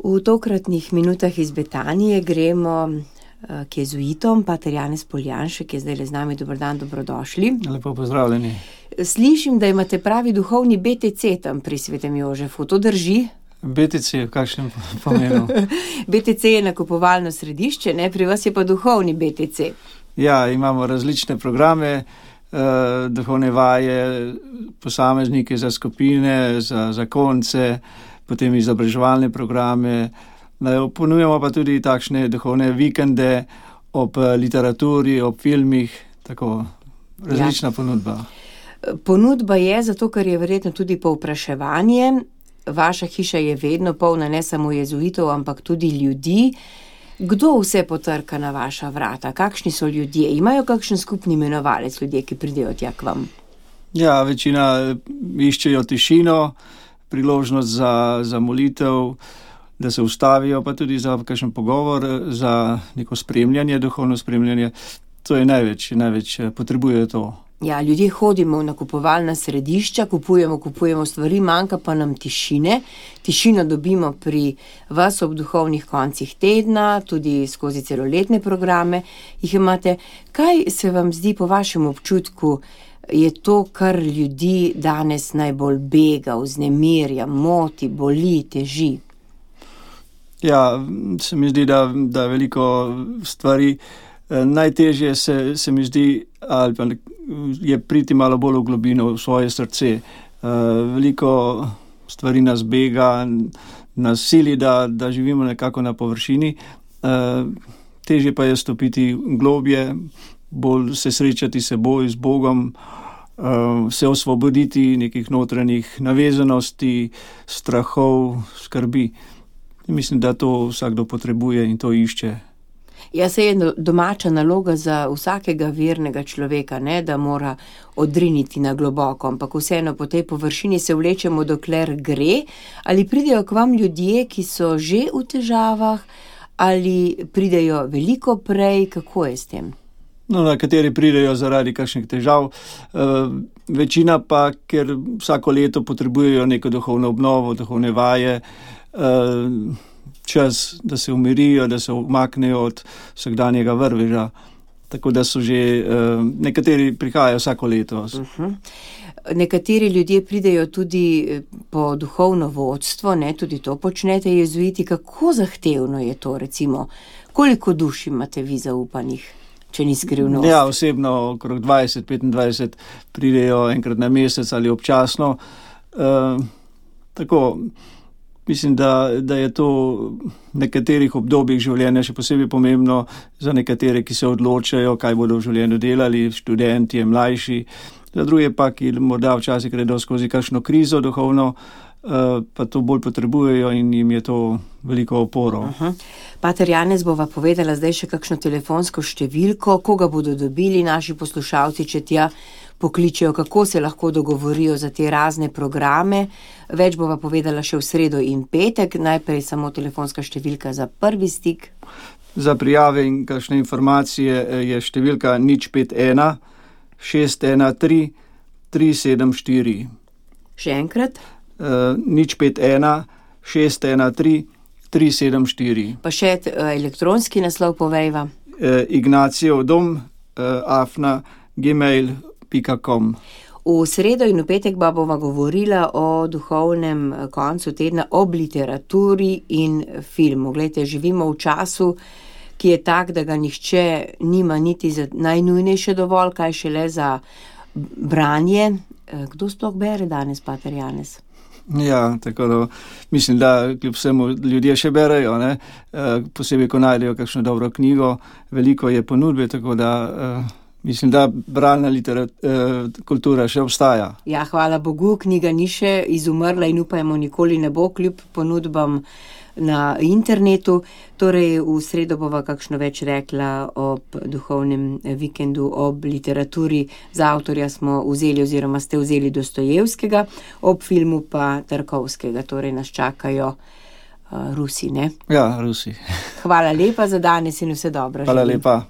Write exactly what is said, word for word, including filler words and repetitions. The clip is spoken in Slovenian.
V tokratnih minutah iz Betanije gremo k jezuitom, pater Janez Poljanšek, ki je zdaj le z nami. Dober dan, dobrodošli. Lepo pozdravljeni. Slišim, da imate pravi duhovni B T C tam pri Svetem Jožefu, to drži? B T C, v kakšnem pomenu? B T C je nakupovalno središče, ne? Pri vas je pa duhovni B T C. Ja, imamo različne programe, eh, duhovne vaje, posameznike za skupine, za zakonce, potem izobraževalne programe. Ponujamo pa tudi takšne duhovne vikende ob literaturi, ob filmih, tako različna ja. ponudba. Ponudba je zato, ker je verjetno tudi povpraševanje. Vaša hiša je vedno polna ne samo jezuitov, ampak tudi ljudi. Kdo vse potrka na vaša vrata? Kakšni so ljudje? Imajo kakšen skupni imenovalec ljudje, ki pridejo tja k vam? Ja, večina iščejo tišino, priložnost za, za molitev, da se ustavijo, pa tudi za kakšen pogovor, za neko spremljanje, duhovno spremljanje. To je največ, največ potrebujejo to. Ja, ljudje hodimo v nakupovalna središča, kupujemo, kupujemo stvari, manjka pa nam tišine. Tišino dobimo pri vas ob duhovnih koncih tedna, tudi skozi celoletne programe jih imate. Kaj se vam zdi po vašem občutku, je to, kar ljudi danes najbolj bega, vznemirja, moti, boli, teži? Ja, se mi zdi, da, da veliko stvari, najtežje se, se mi zdi, ali pa je priti malo bolj v globino v svoje srce. Veliko stvari nas bega, nas sili, da, da živimo nekako na površini. Težje pa je stopiti globje, bolj se srečati s seboj, z Bogom, se osvoboditi nekih notranjih navezanosti, strahov, skrbi. Mislim, da to vsakdo potrebuje in to išče. Ja, se je domača naloga za vsakega vernega človeka, ne, da mora odriniti na globoko, ampak vseeno po tej površini se vlečemo, dokler gre. Ali pridejo k vam ljudje, ki so že v težavah, ali pridejo veliko prej, kako je s tem? No, nekateri pridejo zaradi kakšnih težav, e, večina pa, ker vsako leto potrebujejo neko duhovno obnovo, duhovne vaje, e, čas, da se umirijo, da se umaknejo od vsakdanjega vrveža. Tako da so že, uh, nekateri prihajajo vsako leto. Uh-huh. Nekateri ljudje pridejo tudi po duhovno vodstvo, ne, tudi to počnete jezuiti. Kako zahtevno je to, recimo? Koliko duš imate vi zaupanih, če ni skrivnost? Ja, osebno okrog dvajset, petindvajset pridejo enkrat na mesec ali občasno. Uh, tako... Mislim, da, da je to v nekaterih obdobjih življenja še posebej pomembno za nekatere, ki se odločajo, kaj bodo v življenju delali, študenti, mlajši, za druge pa, ki morda včasih gredo skozi kakšno krizo duhovno, pa to bolj potrebujejo in jim je to veliko oporo. Uh-huh. Pater Janez bova povedala zdaj še kakšno telefonsko številko, koga bodo dobili naši poslušalci, če tja pokličejo, kako se lahko dogovorijo za te razne programe. Več bova povedala še v sredo in petek. Najprej samo telefonska številka za prvi stik. Za prijave in kakšne informacije je številka nič pet ena šest ena tri tri sedem štiri. Še enkrat? Uh, nič pet ena šest ena tri tri sedem štiri. Pa še uh, elektronski naslov povejva. Uh, Ignacijev dom, uh, afna, gmail pika com. V sredo in v petek pa bova govorila o duhovnem koncu tedna, ob literaturi in filmu. Glejte, živimo v času, ki je tak, da ga nihče nima niti za najnujnejše dovolj, kaj šele za branje. Kdo sploh bere danes, pater Janez? Ja, tako da mislim, da kljub vsemu ljudje še berejo, ne? Posebej, ko najdejo kakšno dobro knjigo, veliko je ponudbe, tako da mislim, da bralna kultura še obstaja. Ja, hvala Bogu, knjiga ni še izumrla in upajmo nikoli ne bo, kljub ponudbam na internetu. Torej, v sredo bova kakšno več rekla ob duhovnem vikendu, ob literaturi. Za avtorja smo vzeli oziroma ste vzeli Dostojevskega, ob filmu pa Tarkovskega. Torej, nas čakajo uh, Rusi, ne? Ja, Rusi. Hvala lepa za danes in vse dobro. Hvala lepa.